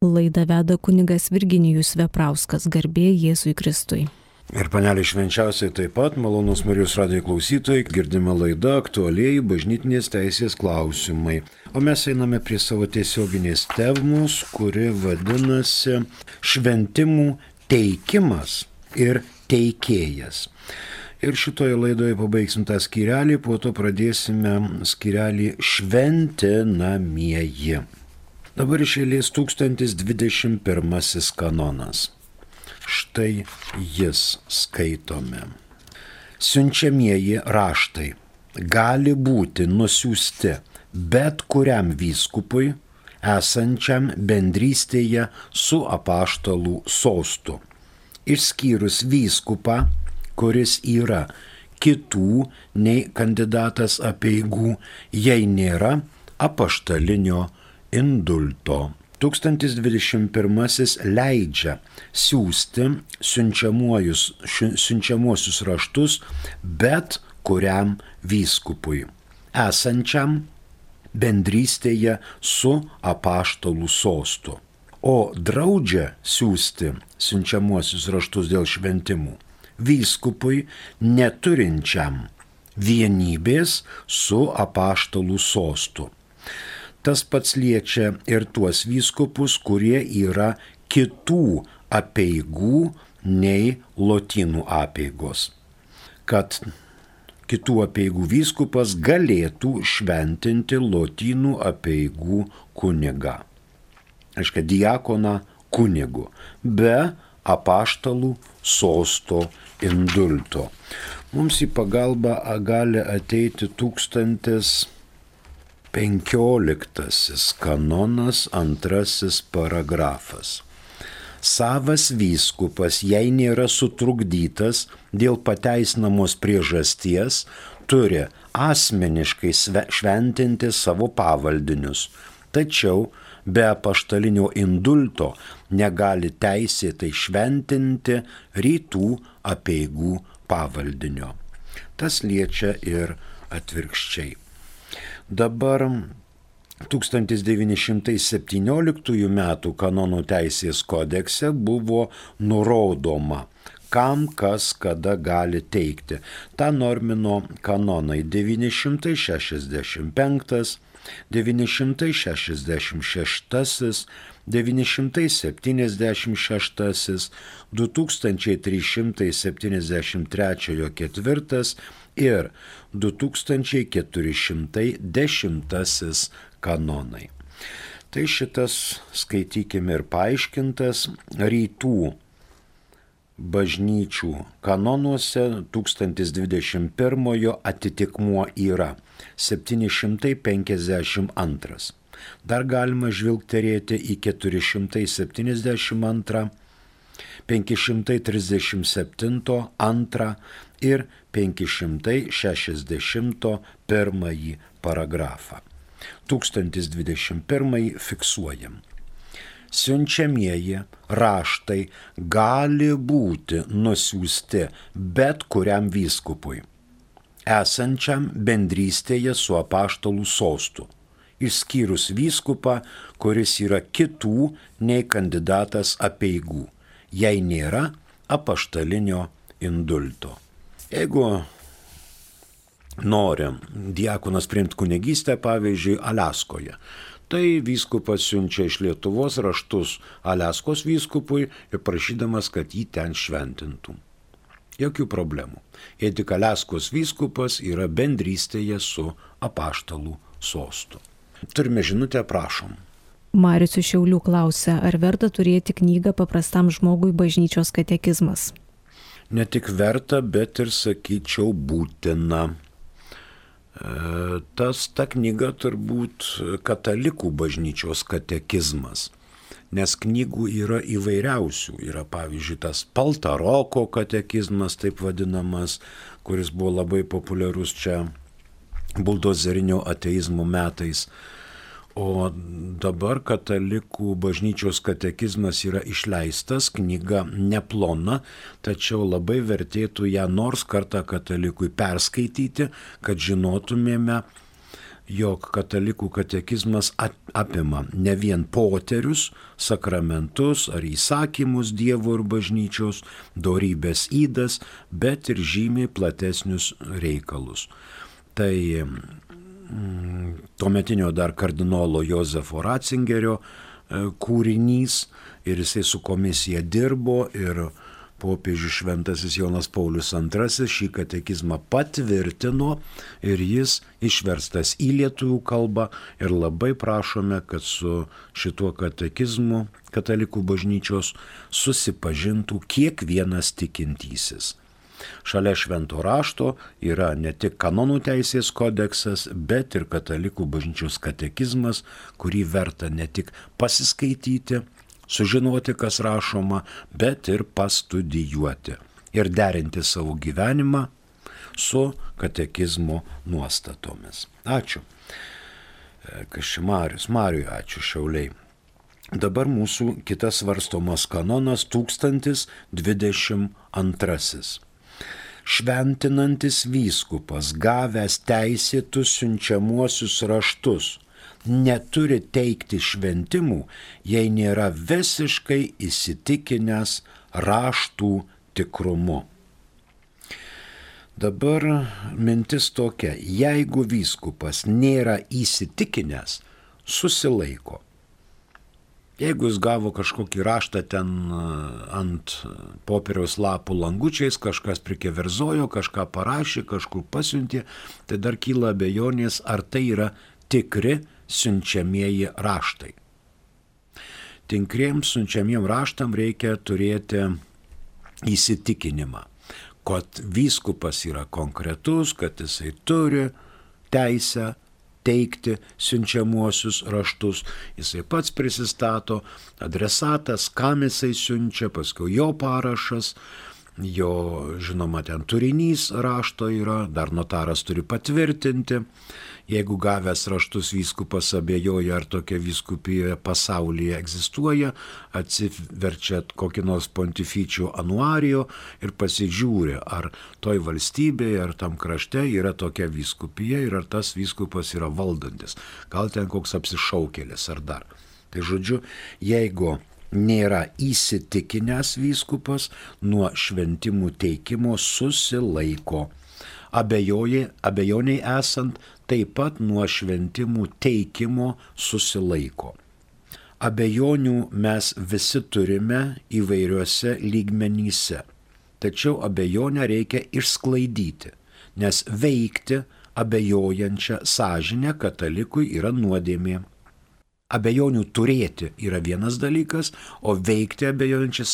Laidą veda kunigas Virginijus Veprauskas, garbė Jėzui Kristui. Ir panelė švenčiausiai taip pat, malonus Marijos radijo klausytojai, girdime laidą aktualieji bažnytinės teisės klausimai. O mes einame prie savo tiesioginės temos, kuri vadinasi šventimų teikimas ir teikėjas. Ir šitoje laidoje pabaigsim tą skyrelį, po to pradėsime skyrelį šventinamieji. Dabar iš eilės 1021 kanonas. Štai jis skaitome. Siunčiamieji raštai gali būti nusiųsti bet kuriam vyskupui, esančiam bendrystėje su apaštalų sostu, išskyrus vyskupą, kuris yra kitų nei kandidatas apeigų, jei nėra apaštalinio indulto. 1021 leidžia siųsti siunčiamuosius raštus bet kuriam vyskupui, esančiam bendrystėje su apaštalų sostu, o draudžia siųsti siunčiamuosius raštus dėl šventimų vyskupui neturinčiam vienybės su apaštalų sostu. Tas pats liečia ir tuos vyskupus, kurie yra kitų apeigų nei lotynų apeigos, kad kitų apeigų vyskupas galėtų šventinti lotynų apeigų kunigą. Aiškia, diakoną kunigu, be apaštalų sosto indulto. Mums į pagalbą gali ateiti 1015 kanonas, 2 paragrafas. Savas vyskupas, jei nėra sutrukdytas dėl pateisinamos priežasties, turi asmeniškai šventinti savo pavaldinius, tačiau be apaštalinio indulto negali teisėtai šventinti rytų apeigų pavaldinio. Tas liečia ir atvirkščiai. Dabar 1917 m. kanonų teisės kodekse buvo nurodoma, kam kas kada gali teikti. Ta normino kanonai 965, 966, 976, 2373 4 ir 2410 kanonai. Tai šitas, skaitykime, ir paaiškintas rytų bažnyčių kanonuose 1021 atitikmuo yra 752. Dar galima žvilgterėti į 472, 537 2 ir 561 paragrafą. 1021 fiksuojam. Siunčiamieji raštai gali būti nusiųsti bet kuriam vyskupui, esančiam bendrystėje su apaštalų sostu, išskyrus vyskupą, kuris yra kitų nei kandidatas apeigų, jei nėra apaštalinio indulto. Jeigu nori diakonas priimti kunigystę, pavyzdžiui, Aliaskoje, tai vyskupas siunčia iš Lietuvos raštus Aliaskos vyskupui ir prašydamas, kad jį ten šventintų. Jokių problemų. Jei tik Aliaskos vyskupas yra bendrystėje su apaštalų sostu. Turime žinutę, prašom. Marius iš Šiaulių klausia, ar verta turėti knygą paprastam žmogui bažnyčios katekizmas? Ne tik verta, bet ir, sakyčiau, būtina. Ta knyga turbūt katalikų bažnyčios katekizmas, nes knygų yra įvairiausių. Yra, pavyzdžiui, tas Paltaroko katekizmas, taip vadinamas, kuris buvo labai populiarus čia buldozerinio ateizmo metais. O dabar katalikų bažnyčios katekizmas yra išleistas, knyga neplona, tačiau labai vertėtų ją nors kartą katalikui perskaityti, kad žinotumėme jog katalikų katekizmas apima ne vien poterius, sakramentus ar įsakymus Dievo ir bažnyčios, dorybės ydas, bet ir žymiai platesnius reikalus. Tai tuometinio dar kardinolo Jozefo Ratzingerio kūrinys ir jisai su komisija dirbo ir popiežius šventasis Jonas Paulius II šį katekizmą patvirtino ir jis išverstas į lietuvių kalbą ir labai prašome, kad su šituo katekizmu katalikų bažnyčios susipažintų kiekvienas tikintysis. Šalia švento rašto yra ne tik kanonų teisės kodeksas, bet ir katalikų bažnyčios katekizmas, kurį verta ne tik pasiskaityti, sužinoti, kas rašoma, bet ir pastudijuoti ir derinti savo gyvenimą su katekizmo nuostatomis. Ačiū. Kašimarius, Mariui ačiū, Šiauliai. Dabar mūsų kitas svarstomas kanonas 1022. Šventinantis vyskupas, gavęs teisėtus siunčiamuosius raštus, neturi teikti šventimų, jei nėra visiškai įsitikinęs raštų tikrumu. Dabar mintis tokia, jeigu vyskupas nėra įsitikinęs, susilaiko. Jeigu jis gavo kažkokį raštą ten ant popieriaus lapų langučiais, kažkas prikeverzojo, kažką parašė, kažkur pasiuntė, tai dar kyla abejonės, ar tai yra tikri siunčiamieji raštai. Tinkriems siunčiamiem raštam reikia turėti įsitikinimą, kad vyskupas yra konkretus, kad jisai turi teisę teikti siunčiamuosius raštus. Jisai pats prisistato, adresatas, kam jisai siunčia, paskui jo parašas, jo, žinoma, ten turinys rašto yra, dar notaras turi patvirtinti. Jeigu gavęs raštus vyskupas abejoja, ar tokia vyskupija pasaulyje egzistuoja, atsiverčia kokį nors pontificio anuario ir pasižiūri, ar toj valstybėje, ar tam krašte yra tokia vyskupija ir ar tas vyskupas yra valdantis. Gal ten koks apsišaukėlis ar dar. Tai žodžiu, jeigu nėra įsitikinęs vyskupas, nuo šventimų teikimo susilaiko. Abejoniai esant, taip pat nuo šventimų teikimo susilaiko. Abejonių mes visi turime įvairiuose lygmenyse, tačiau abejonę reikia išsklaidyti, nes veikti abejojančią sąžinę katalikui yra nuodėmė. Abejonių turėti yra vienas dalykas, o veikti abejojančią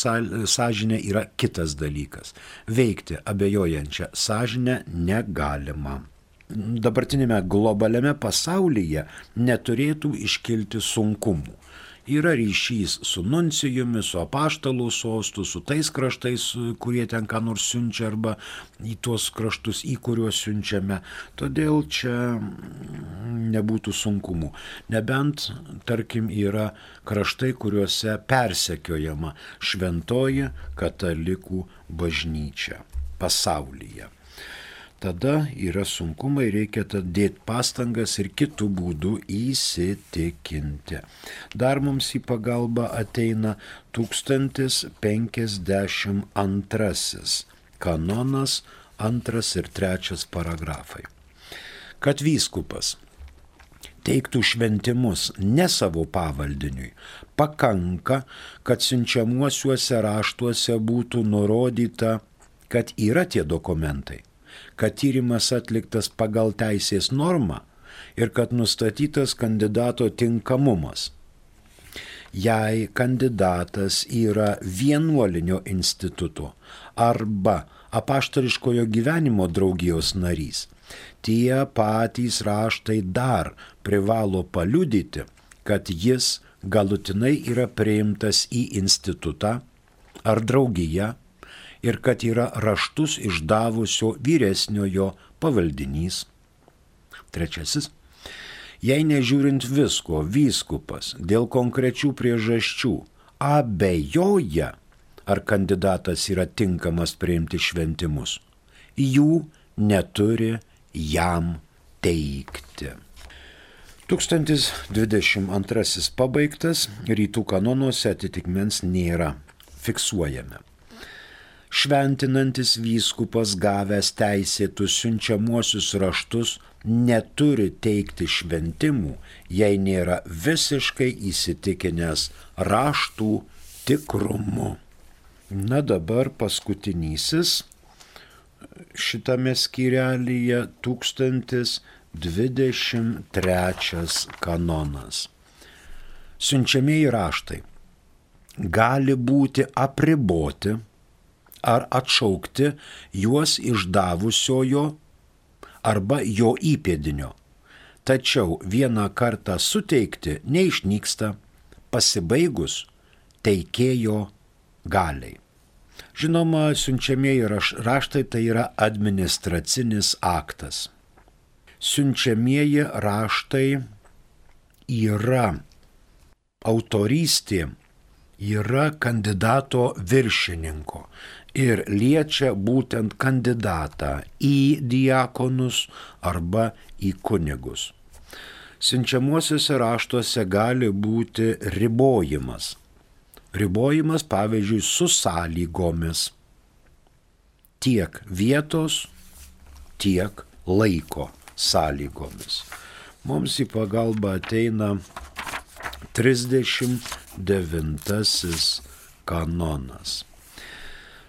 sąžinę yra kitas dalykas. Veikti abejojančią sąžinę negalima. Dabartinėme globaliame pasaulyje neturėtų iškilti sunkumų. Yra ryšys su nuncijumi, su apaštalų sostu, su tais kraštais, kurie ten ką nors siunčia arba į tuos kraštus, į kuriuos siunčiame. Todėl čia nebūtų sunkumų. Nebent, tarkim, yra kraštai, kuriuose persekiojama šventoji katalikų bažnyčia pasaulyje. Tada yra sunkumai, reikia dėti pastangas ir kitų būdų įsitikinti. Dar mums į pagalbą ateina 1052 kanonas 2 ir 3 paragrafai. Kad vyskupas teiktų šventimus ne savo pavaldiniui, pakanka, kad siunčiamuosiuose raštuose būtų nurodyta, kad yra tie dokumentai, kad tyrimas atliktas pagal teisės normą ir kad nustatytas kandidato tinkamumas. Jei kandidatas yra vienuolinio instituto arba apaštališkojo gyvenimo draugijos narys, tie patys raštai dar privalo paliudyti, kad jis galutinai yra priimtas į institutą ar draugiją ir kad yra raštus išdavusio vyresniojo pavaldinys. 3. Jei nežiūrint visko, vyskupas dėl konkrečių priežasčių abejoja, ar kandidatas yra tinkamas priimti šventimus, jų neturi jam teikti. 1022 pabaigtas, rytų kanonuose atitikmens nėra, fiksuojame. Šventinantis vyskupas gavęs teisėtus siunčiamuosius raštus neturi teikti šventimų, jei nėra visiškai įsitikinęs raštų tikrumu. Na dabar paskutinysis šitame skyrelyje 1023 kanonas. Siunčiamieji raštai gali būti apriboti ar atšaukti juos išdavusiojo arba jo įpėdinio, tačiau vieną kartą suteikti neišnyksta pasibaigus teikėjo galiai. Žinoma, siunčiamieji raštai tai yra administracinis aktas. Siunčiamieji raštai yra autorystė, yra kandidato viršininko ir liečia būtent kandidatą į diakonus arba į kunigus. Siunčiamuosiuose raštuose gali būti ribojimas. Ribojimas, pavyzdžiui, su sąlygomis. Tiek vietos, tiek laiko sąlygomis. Mums į pagalbą ateina 39 kanonas.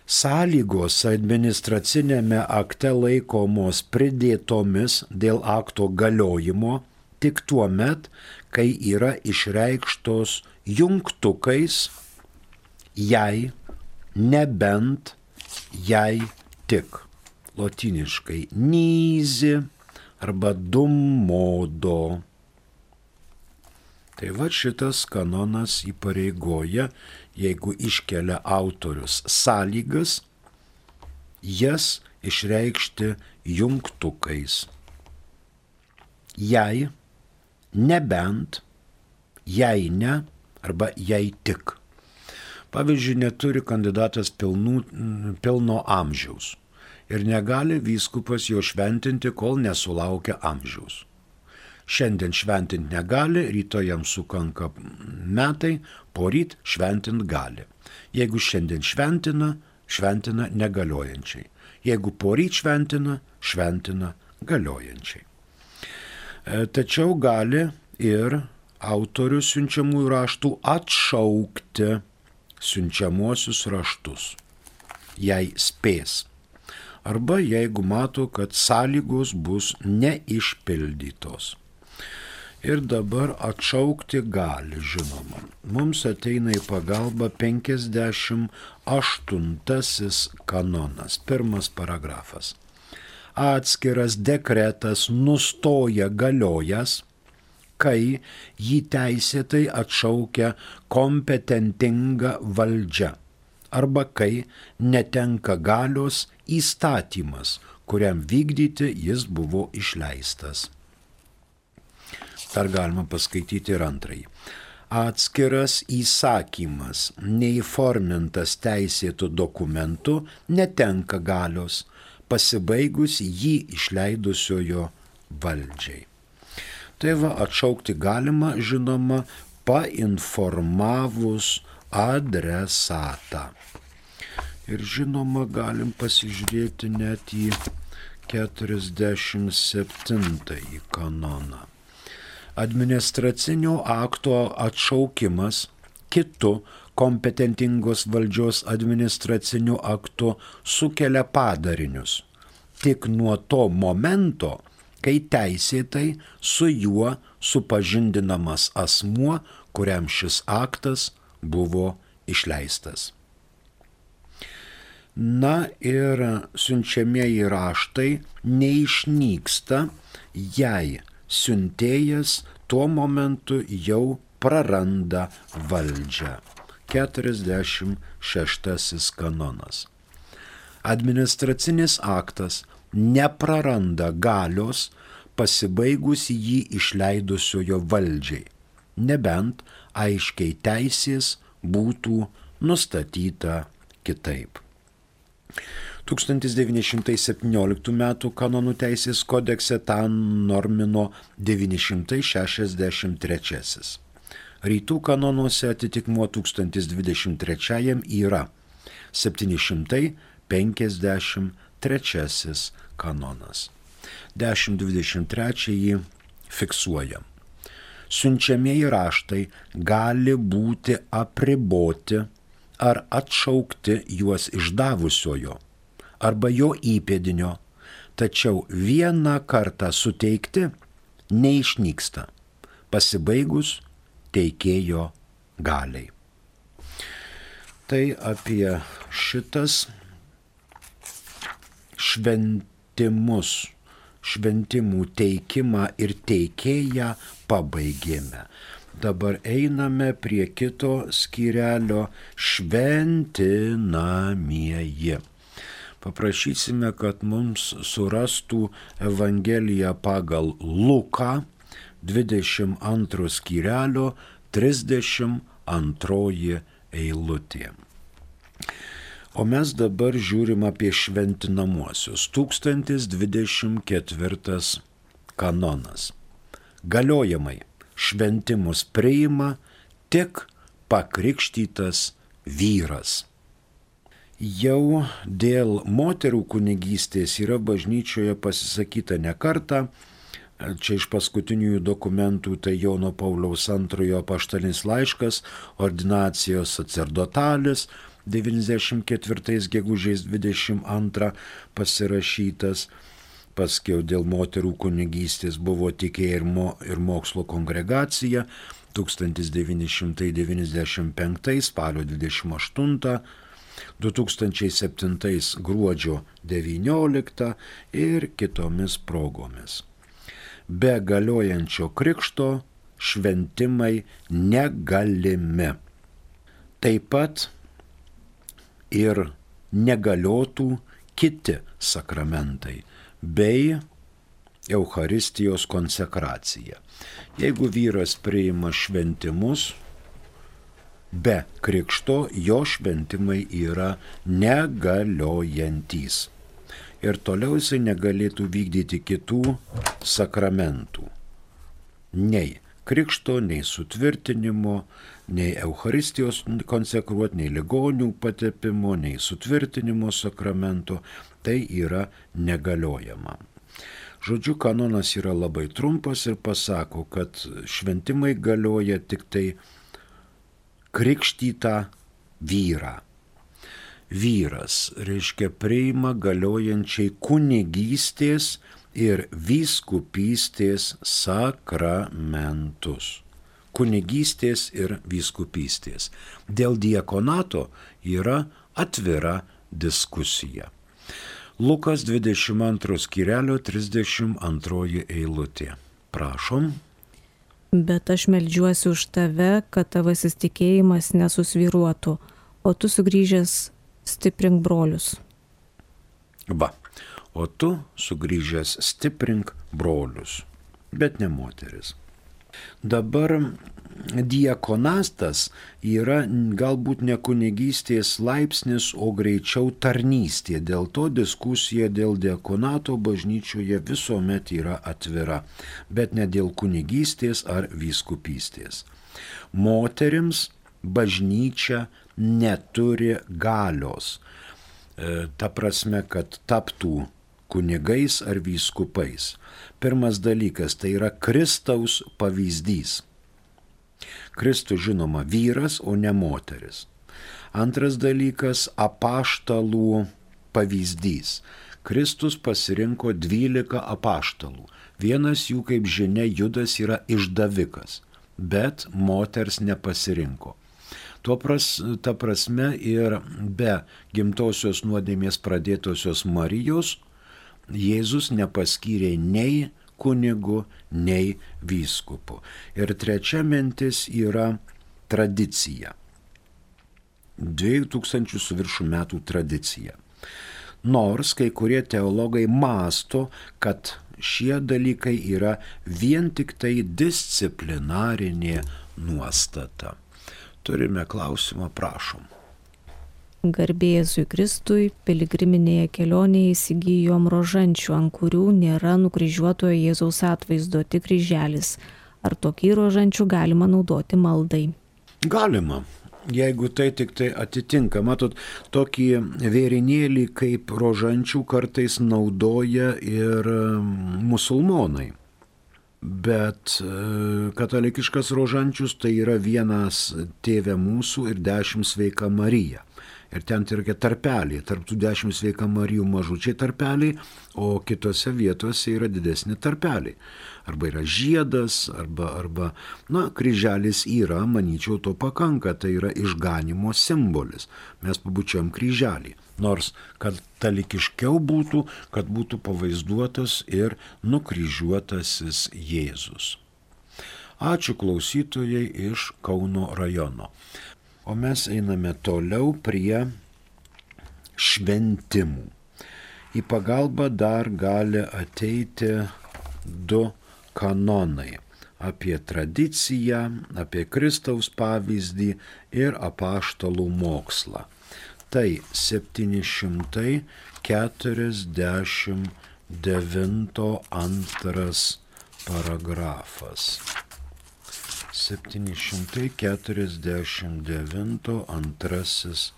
Sąlygos administracinėme akte laikomos pridėtomis dėl akto galiojimo tik tuo met, kai yra išreikštos jungtukais jei, nebent, jei tik. Lotyniškai nyzi arba dum modo. Tai va šitas kanonas įpareigoja, jeigu iškelia autorius sąlygas, jas išreikšti jungtukais. Jei, nebent, jei ne, arba jei tik. Pavyzdžiui, neturi kandidatas pilno amžiaus ir negali vyskupas jo šventinti, kol nesulaukia amžiaus. Šiandien šventinti negali, rytoj jam sukanka metai, poryt šventint gali. Jeigu šiandien šventina, šventina negaliojančiai. Jeigu poryt šventina, šventina galiojančiai. Tačiau gali ir autorius siunčiamųjų raštų atšaukti siunčiamuosius raštus, jei spės, arba jeigu mato, kad sąlygos bus neišpildytos. Ir dabar atšaukti gali, žinoma. Mums ateina į pagalbą 58 kanonas, pirmas paragrafas. Atskiras dekretas nustoja galiojas, kai jį teisėtai atšaukia kompetentinga valdžia arba kai netenka galios įstatymas, kuriam vykdyti jis buvo išleistas. Dar galima paskaityti ir antrąjį. Atskiras įsakymas, neįformintas teisėtų dokumentų, netenka galios, pasibaigus jį išleidusiojo valdžiai. Tai va, atšaukti galima, žinoma, painformavus adresatą. Ir žinoma, galim pasižiūrėti net į 47 kanoną. Administracinio akto atšaukimas kitu kompetentingos valdžios administraciniu aktu sukelia padarinius. Tik nuo to momento, kai teisėtai su juo supažindinamas asmuo, kuriam šis aktas buvo išleistas. Na ir siunčiamieji raštai neišnyksta, jei siuntėjas tuo momentu jau praranda valdžią. 46 kanonas. Administracinis aktas nepraranda galios pasibaigus jį išleidusiojo valdžiai, nebent aiškiai teisės būtų nustatyta kitaip. 1917 m. kanonų teisės kodekse tą normino 963. Rytų kanonuose atitikmuo 1023 yra 753 kanonas. 1023 fiksuoja. Siunčiamieji raštai gali būti apriboti ar atšaukti juos išdavusiojo arba jo įpėdinio, tačiau vieną kartą suteikti neišnyksta, pasibaigus teikėjo galiai. Tai apie šitas šventimų teikimą ir teikėją pabaigėme. Dabar einame prie kito skyrelio šventinamieji. Paprašysime, kad mums surastų Evangeliją pagal Luką 22 skyrelio 32 eilutė. O mes dabar žiūrim apie šventinamuosius. 1024 kanonas. Galiojamai šventimus priima tik pakrikštytas vyras. Jau dėl moterų kunigystės yra bažnyčioje pasisakyta ne kartą. Čia iš paskutiniųjų dokumentų tai Jono Pauliaus II apaštalinis laiškas, ordinacijos sacerdotalis, 94 gegužės 22 pasirašytas. Paskiau dėl moterų kunigystės buvo tikėjimo ir mokslo kongregacija 1995 spalio 28, 2007 gruodžio 19 ir kitomis progomis. Be galiojančio krikšto šventimai negalimi. Taip pat ir negaliotų kiti sakramentai bei Eucharistijos konsekracija. Jeigu vyras priima šventimus be krikšto, jo šventimai yra negaliojantys. Ir toliau jisai negalėtų vykdyti kitų sakramentų. Nei krikšto, nei sutvirtinimo, nei Eucharistijos konsekruoti, nei ligonių patepimo, nei sutvirtinimo sakramento. Tai yra negaliojama. Žodžiu, kanonas yra labai trumpas ir pasako, kad šventimai galioja tik tai krikštytą vyrą. Vyras, reiškia, priima galiojančiai kunigystės ir vyskupystės sakramentus. Kunigystės ir vyskupystės. Dėl diakonato yra atvira diskusija. Lukas 22 skyrelio 32 eilutė. Prašom. Bet aš meldžiuosi už tave, kad tavasis tikėjimas nesusvyruotų, o tu sugrįžęs stiprink brolius. Va, o tu sugrįžęs stiprink brolius, bet ne moteris. Dabar diakonastas yra galbūt ne kunigystės laipsnis, o greičiau tarnystė. Dėl to diskusija dėl diakonato bažnyčioje visuomet yra atvira, bet ne dėl kunigystės ar vyskupystės. Moterims bažnyčia neturi galios. Ta prasme, kad taptų kunigais ar vyskupais. Pirmas dalykas tai yra Kristaus pavyzdys. Kristus žinoma vyras, o ne moteris. Antras dalykas apaštalų pavyzdys. Kristus pasirinko 12 apaštalų. Vienas jų, kaip žinia, Judas yra išdavikas, bet moters nepasirinko. Ta prasme ir be gimtosios nuodėmės pradėtosios Marijos Jėzus nepaskyrė nei kunigu, nei vyskupu. Ir trečia mintis yra tradicija. 2000 su viršų metų tradicija. Nors kai kurie teologai mąsto, kad šie dalykai yra vien tik tai disciplinarinė nuostata. Turime klausimą, prašom. Garbė Jėzui Kristui, piligriminėje kelionėje įsigijom rožančių, ant kurių nėra nukryžiuotojo Jėzaus atvaizdo, tik kryželis. Ar tokį rožančių galima naudoti maldai? Galima, jeigu tai tik tai atitinka. Matot, tokį vėrinėlį kaip rožančių kartais naudoja ir musulmonai. Bet katalikiškas rožančius tai yra vienas Tėve mūsų ir 10 Sveika Marija. Ir ten yra tarpeliai, tarp tų 10 Sveika Marijų mažučiai tarpeliai, o kitose vietose yra didesni tarpeliai. Arba yra žiedas, arba kryželis yra, manyčiau, to pakanka, tai yra išganimo simbolis. Mes pabučiam kryželį. Nors katalikiškiau būtų, kad būtų pavaizduotas ir nukryžiuotasis Jėzus. Ačiū klausytojai iš Kauno rajono. O mes einame toliau prie šventimų. Į pagalbą dar gali ateiti 2 kanonai – apie tradiciją, apie Kristaus pavyzdį ir apaštalų mokslą. Tai 749 2 paragrafas. 749 2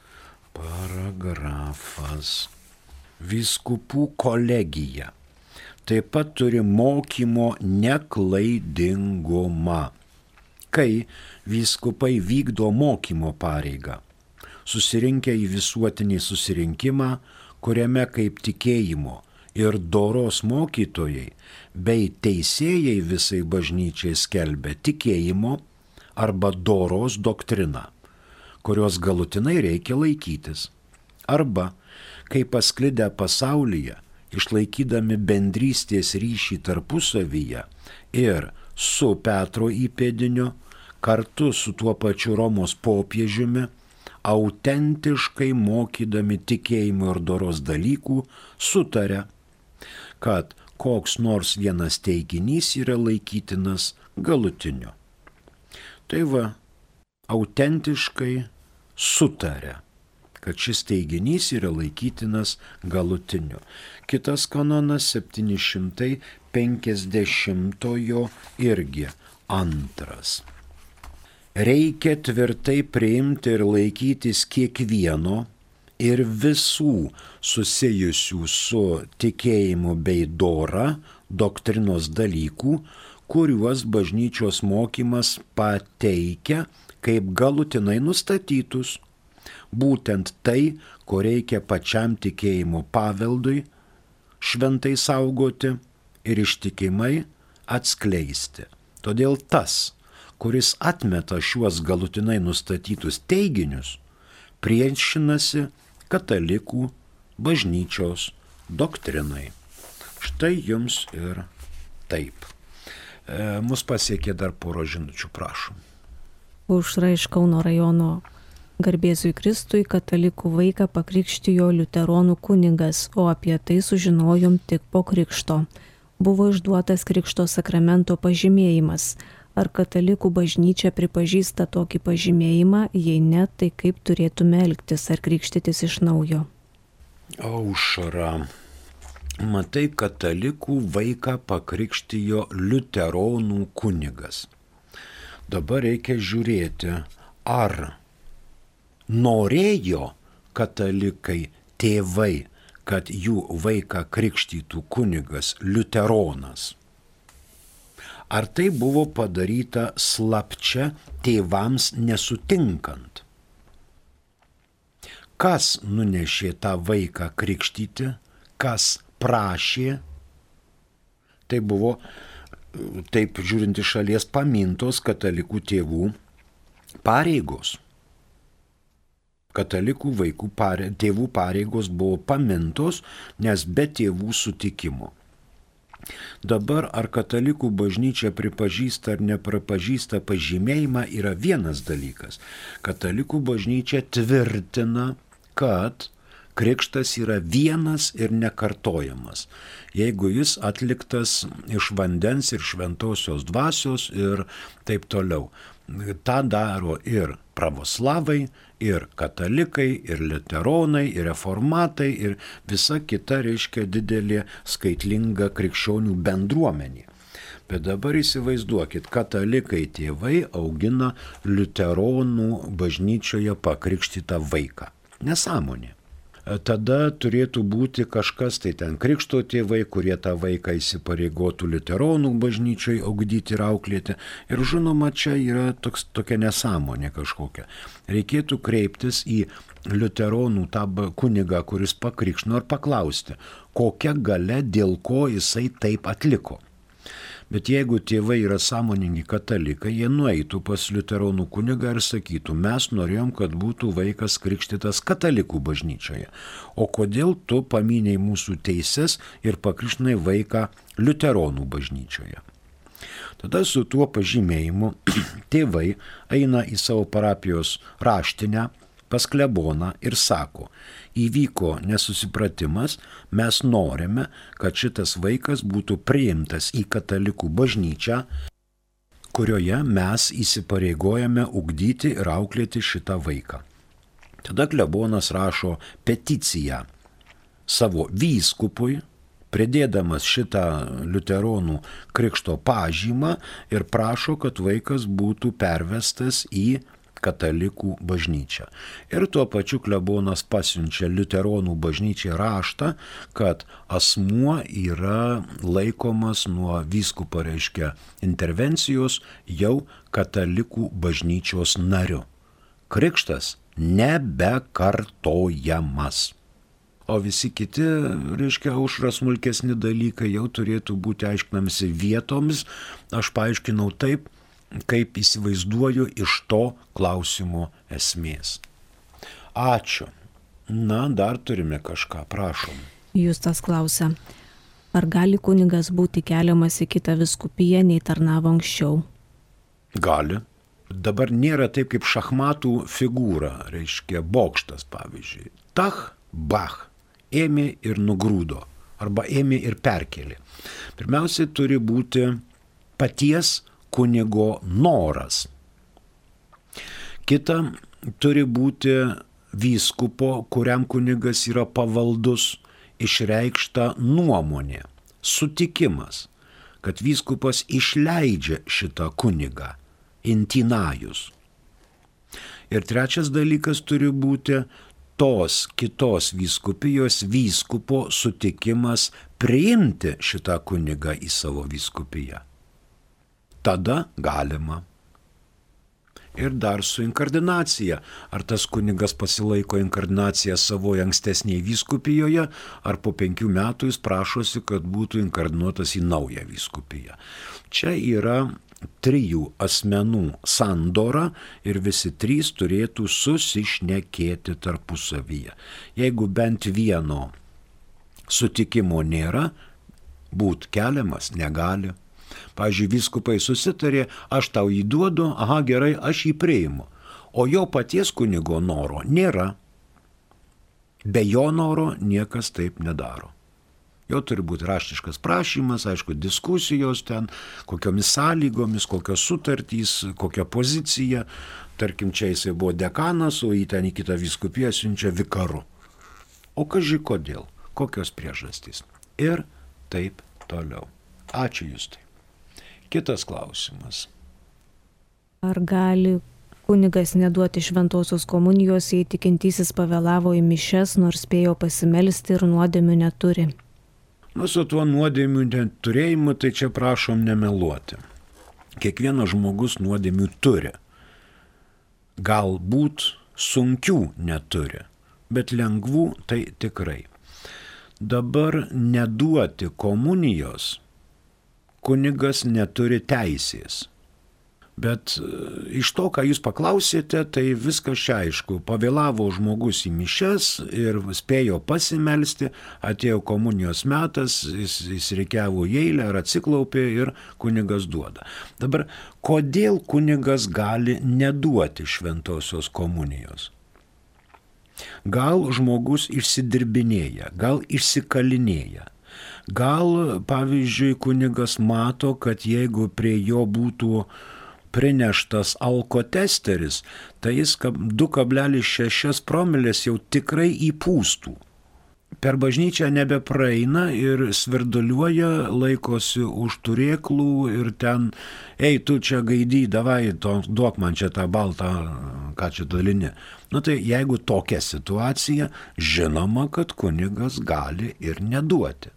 paragrafas. Vyskupų kolegija taip pat turi mokymo neklaidingumą, kai vyskupai vykdo mokymo pareigą, susirinkę į visuotinį susirinkimą, kuriame kaip tikėjimo ir doros mokytojai bei teisėjai visai bažnyčiai skelbia tikėjimo arba doros doktriną, kurios galutinai reikia laikytis. Arba, kai pasklidę pasaulyje, išlaikydami bendrystės ryšį tarpusavyje ir su Petro įpėdiniu, kartu su tuo pačiu Romos popiežiumi, autentiškai mokydami tikėjimo ir doros dalykų, sutaria, kad koks nors vienas teiginys yra laikytinas galutiniu. Tai va, autentiškai sutaria, kad šis teiginys yra laikytinas galutiniu. Kitas kanonas 750 irgi 2. Reikia tvirtai priimti ir laikytis kiekvieno ir visų susijusių su tikėjimu bei dora doktrinos dalykų, kuriuos bažnyčios mokymas pateikia kaip galutinai nustatytus. Būtent tai, ko reikia pačiam tikėjimo paveldui šventai saugoti ir ištikimai atskleisti. Todėl tas, kuris atmeta šiuos galutinai nustatytus teiginius, priešinasi katalikų bažnyčios doktrinai. Štai jums ir taip. Mus pasiekė dar porą žinučių, prašom. Aušra iš Kauno rajono. Garbėzui Kristui katalikų vaiką pakrikštijo liuteronų kunigas, o apie tai sužinojom tik po krikšto. Buvo išduotas krikšto sakramento pažymėjimas. Ar katalikų bažnyčia pripažįsta tokį pažymėjimą, jei ne, tai kaip turėtume elgtis, ar krikštytis iš naujo? Aušra, matai, katalikų vaiką pakrikštijo liuteronų kunigas. Dabar reikia žiūrėti, ar norėjo katalikai tėvai, kad jų vaiką krikštytų kunigas liuteronas. Ar tai buvo padaryta slapčia tėvams nesutinkant? Kas nunešė tą vaiką krikštyti, kas prašė? Tai buvo, taip žiūrint iš šalies, pamintos katalikų tėvų pareigos. Katalikų tėvų pareigos buvo pamintos, nes be tėvų sutikimo. Dabar ar katalikų bažnyčia pripažįsta ar nepripažįsta pažymėjimą yra vienas dalykas. Katalikų bažnyčia tvirtina, kad krikštas yra vienas ir nekartojamas, jeigu jis atliktas iš vandens ir šventosios dvasios ir taip toliau. tą daro ir pravoslavai, ir katalikai, ir liuteronai, ir reformatai, ir visa kita, reiškia, didelė skaitlinga krikščionių bendruomenė. Bet dabar įsivaizduokit, katalikai tėvai augina liuteronų bažnyčioje pakrikštytą vaiką. Nesąmonė. Tada turėtų būti kažkas, tai ten krikšto tėvai, kurie tą vaiką įsipareigotų liuteronų bažnyčiai augdyti ir auklėti. Ir žinoma, čia yra tokia nesąmonė kažkokia. Reikėtų kreiptis į liuteronų tą kunigą, kuris pakrikštino, ir paklausti, kokia galia, dėl ko jisai taip atliko. Bet jeigu tėvai yra sąmoningi katalikai, jie nueitų pas liuteronų kunigą ir sakytų, mes norėjom, kad būtų vaikas krikštytas katalikų bažnyčioje. O kodėl tu paminėjai mūsų teises ir pakrikštinai vaiką liuteronų bažnyčioje? Tada su tuo pažymėjimu tėvai eina į savo parapijos raštinę pas kleboną ir sako, įvyko nesusipratimas, mes norime, kad šitas vaikas būtų priimtas į katalikų bažnyčią, kurioje mes įsipareigojame ugdyti ir auklėti šitą vaiką. Tada klebonas rašo peticiją savo vyskupui, pridėdamas šitą liuteronų krikšto pažymą ir prašo, kad vaikas būtų pervestas į katalikų bažnyčią. Ir tuo pačiu klebonas pasiunčia liuteronų bažnyčiai raštą, kad asmuo yra laikomas nuo vyskupo, reiškia, intervencijos jau katalikų bažnyčios nariu. Krikštas nebekartojamas. O visi kiti, reiškia, aušra smulkesni dalykai jau turėtų būti aiškinamasi vietomis. Aš paaiškinau taip, kaip įsivaizduoju iš to klausimo esmės. Ačiū. Na, dar turime kažką, prašom. Justas klausia, ar gali kunigas būti keliamas į kitą vyskupiją, nei tarnavo anksčiau? Gali. Dabar nėra taip kaip šachmatų figūra, reiškia bokštas, pavyzdžiui. Tach, bach, ėmė ir nugrūdo, arba ėmė ir perkelė. Pirmiausia, turi būti paties kunigo noras. Kita, turi būti vyskupo, kuriam kunigas yra pavaldus, išreikšta nuomonė, sutikimas, kad vyskupas išleidžia šitą kunigą, intinajus. Ir trečias dalykas turi būti tos kitos vyskupijos vyskupo sutikimas priimti šitą kunigą į savo vyskupiją. Tada galima. Ir dar su inkardinacija. Ar tas kunigas pasilaiko inkardinaciją savoje ankstesnėje vyskupijoje, ar po 5 metų jis prašosi, kad būtų inkardinuotas į naują vyskupiją. Čia yra 3 asmenų sandora ir visi 3 turėtų susišnekėti tarpusavyje. Jeigu bent vieno sutikimo nėra, būt keliamas negali. Pavyzdžiui, vyskupai susitarė, aš tau jį duodu, aha, gerai, aš jį priimu. O jo paties kunigo noro nėra. Be jo noro niekas taip nedaro. Jo turi būti raštiškas prašymas, aišku, diskusijos ten, kokiomis sąlygomis, kokios sutartys, kokia pozicija. Tarkim, čia jisai buvo dekanas, o jį ten į kitą vyskupiją siunčia vikaru. O kaži kodėl, kokios priežastys. Ir taip toliau. Ačiū Justai. Kitas klausimas. Ar gali kunigas neduoti šventosios komunijos, jei tikintysis pavėlavo į mišias, nors spėjo pasimelsti ir nuodėmių neturi? Nu, su tuo nuodėmių neturėjimu, tai čia prašom nemeluoti. Kiekvienas žmogus nuodėmių turi. Galbūt sunkių neturi, bet lengvų tai tikrai. Dabar neduoti komunijos kunigas neturi teisės. Bet iš to, ką jūs paklausėte, tai viskas čia aišku. Pavėlavo žmogus į mišias ir spėjo pasimelsti, atėjo komunijos metas, jis reikiavo į eilę ar atsiklaupė ir kunigas duoda. Dabar, kodėl kunigas gali neduoti šventosios komunijos? Gal žmogus išsidirbinėja, gal išsikalinėja. Gal, pavyzdžiui, kunigas mato, kad jeigu prie jo būtų prineštas alkotesteris, tai jis 2,6 promilės jau tikrai įpūstų. Per bažnyčią nebepraeina ir svirduliuoja, laikosi už turėklų ir ten, ei, tu čia gaidy, davai, duok man čia tą baltą, ką čia dalini. Tai jeigu tokia situacija, žinoma, kad kunigas gali ir neduoti.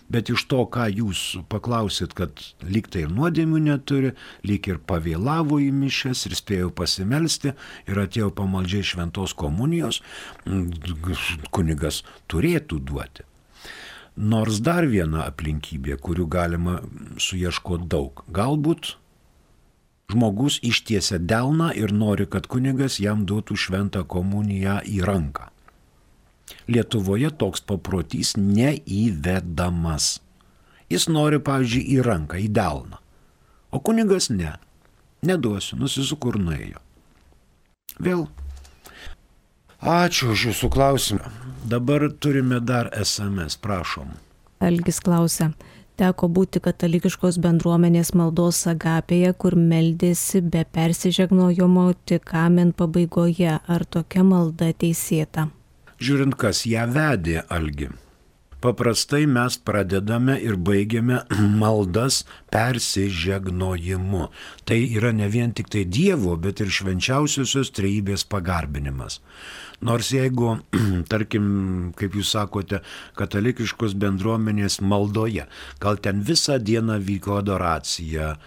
Bet iš to, ką jūs paklausit, kad lyg tai ir nuodėmių neturi, lyg ir pavėlavo į mišias ir spėjo pasimelsti ir atėjo pamaldžiai šventos komunijos, kunigas turėtų duoti. Nors dar viena aplinkybė, kurių galima suieškoti daug. Galbūt žmogus ištiesia delną ir nori, kad kunigas jam duotų šventą komuniją į ranką. Lietuvoje toks paprotys neįvedamas. Jis nori, pavyzdžiui, į ranką, į delną. O kunigas neduosiu, nusisuko ir nuėjo. Vėl. Ačiū už jūsų klausimą. Dabar turime dar SMS, prašom. Algis klausia. Teko būti katalikiškos bendruomenės maldos agapėje, kur meldėsi be persižegnojimo tik amen pabaigoje. Ar tokia malda teisėta? Žiūrint, kas ją vedė, Algi. Paprastai mes pradedame ir baigiame maldas persižegnojimu. Tai yra ne vien tik tai Dievo, bet ir švenčiausiosios trejybės pagarbinimas. Nors jeigu, tarkim, kaip jūs sakote, katalikiškos bendruomenės maldoje, gal ten visą dieną vyko adoracija,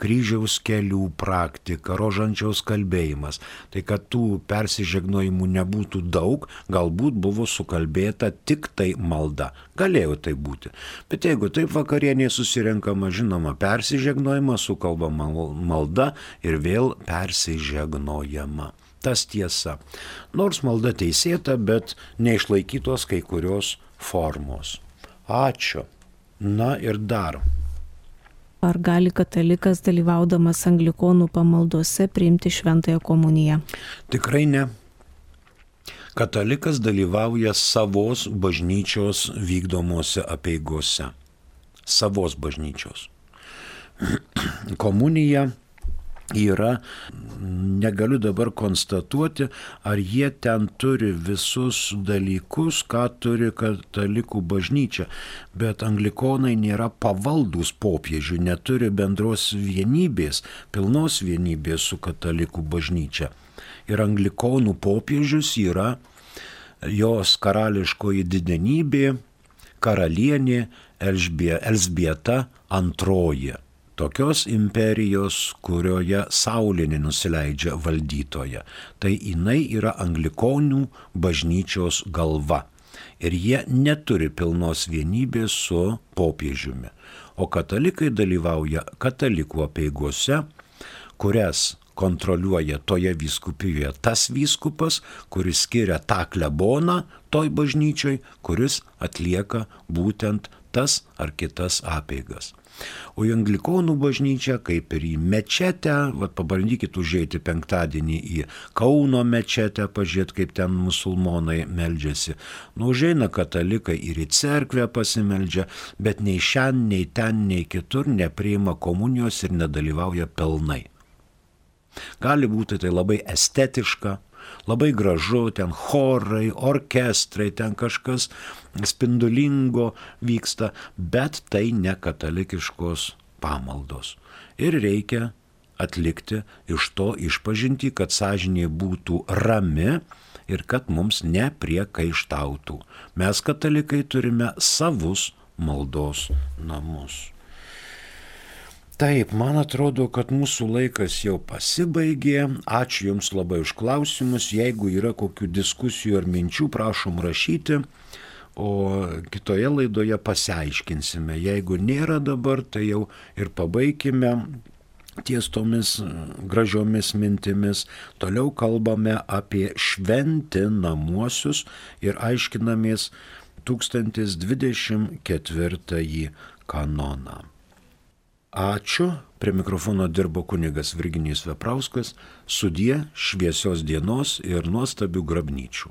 kryžiaus kelių praktika, rožančiaus kalbėjimas, tai kad tų persižegnojimų nebūtų daug, galbūt buvo sukalbėta tik tai malda. Galėjo tai būti. Bet jeigu taip vakarienėje susirenkama, žinoma, persižegnojama, sukalbama malda ir vėl persižegnojama. Tas tiesa. Nors malda teisėta, bet neišlaikytos kai kurios formos. Ačiū. Na ir dar. Ar gali katalikas dalyvaudamas anglikonų pamaldose priimti šventąją komuniją? Tikrai ne. Katalikas dalyvauja savos bažnyčios vykdomose apeigose. Savos bažnyčios. Komunija yra, negaliu dabar konstatuoti, ar jie ten turi visus dalykus, ką turi katalikų bažnyčia, bet anglikonai nėra pavaldūs popiežiui, neturi bendros vienybės, pilnos vienybės su katalikų bažnyčia. Ir anglikonų popiežius yra jos karališkoji didenybė, karalienė Elžbieta II. Tokios imperijos, kurioje Saulė nenusileidžia valdytoja. Tai jinai yra anglikonių bažnyčios galva. Ir jie neturi pilnos vienybės su popiežiumi. O katalikai dalyvauja katalikų apeigose, kurias kontroliuoja toje vyskupijoje tas vyskupas, kuris skiria tą kleboną toj bažnyčioj, kuris atlieka būtent tas ar kitas apeigas. O į anglikonų bažnyčią, kaip ir į mečetę, pabandykit užeiti penktadienį į Kauno mečetę, pažiūrėti, kaip ten musulmonai meldžiasi. Užeina katalikai ir į cerkvę pasimeldžia, bet nei šiandien, nei ten, nei kitur nepriima komunijos ir nedalyvauja pilnai. Gali būti tai labai estetiška, labai gražu, ten chorai, orkestrai, ten kažkas spindulingo vyksta, bet tai ne katalikiškos pamaldos. Ir reikia atlikti iš to išpažintį, kad sąžinė būtų rami ir kad mums nepriekaištautų. Mes katalikai turime savus maldos namus. Taip, man atrodo, kad mūsų laikas jau pasibaigė. Ačiū Jums labai už klausimus. Jeigu yra kokių diskusijų ar minčių, prašom rašyti, o kitoje laidoje pasiaiškinsime. Jeigu nėra dabar, tai jau ir pabaikime ties tomis gražiomis mintimis. Toliau kalbame apie šventinamuosius ir aiškinamės 1024 kanoną. Ačiū. Prie mikrofono dirbo kunigas Virginijus Veprauskas. Sudie, šviesios dienos ir nuostabių grabnyčių.